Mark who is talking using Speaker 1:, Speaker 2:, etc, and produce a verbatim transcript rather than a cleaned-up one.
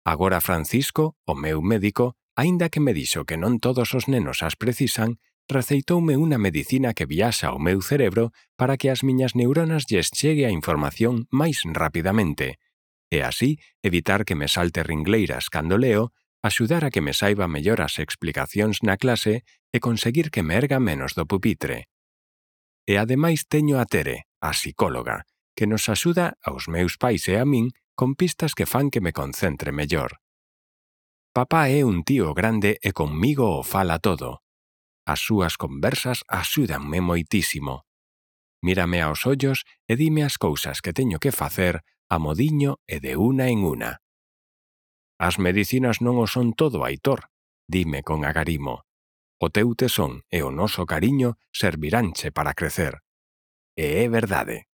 Speaker 1: Agora Francisco, o meu médico, aínda que me dixo que non todos os nenos as precisan, receitoume unha medicina que viaxa ao meu cerebro para que as miñas neuronas lles chegue a información máis rapidamente, e así evitar que me salte ringleiras cando leo, axudar a que me saiba mellor as explicacións na clase e conseguir que me erga menos do pupitre. E ademais teño a Tere, a psicóloga, que nos axuda aos meus pais e a min con pistas que fan que me concentre mellor. Papá é un tío grande e conmigo o fala todo. As súas conversas axúdanme moitísimo. Mírame aos ollos e dime as cousas que teño que facer a modiño e de una en una. As medicinas non o son todo, Aitor, dime con agarimo. O teu tesón e o noso cariño serviránche para crecer. E é verdade.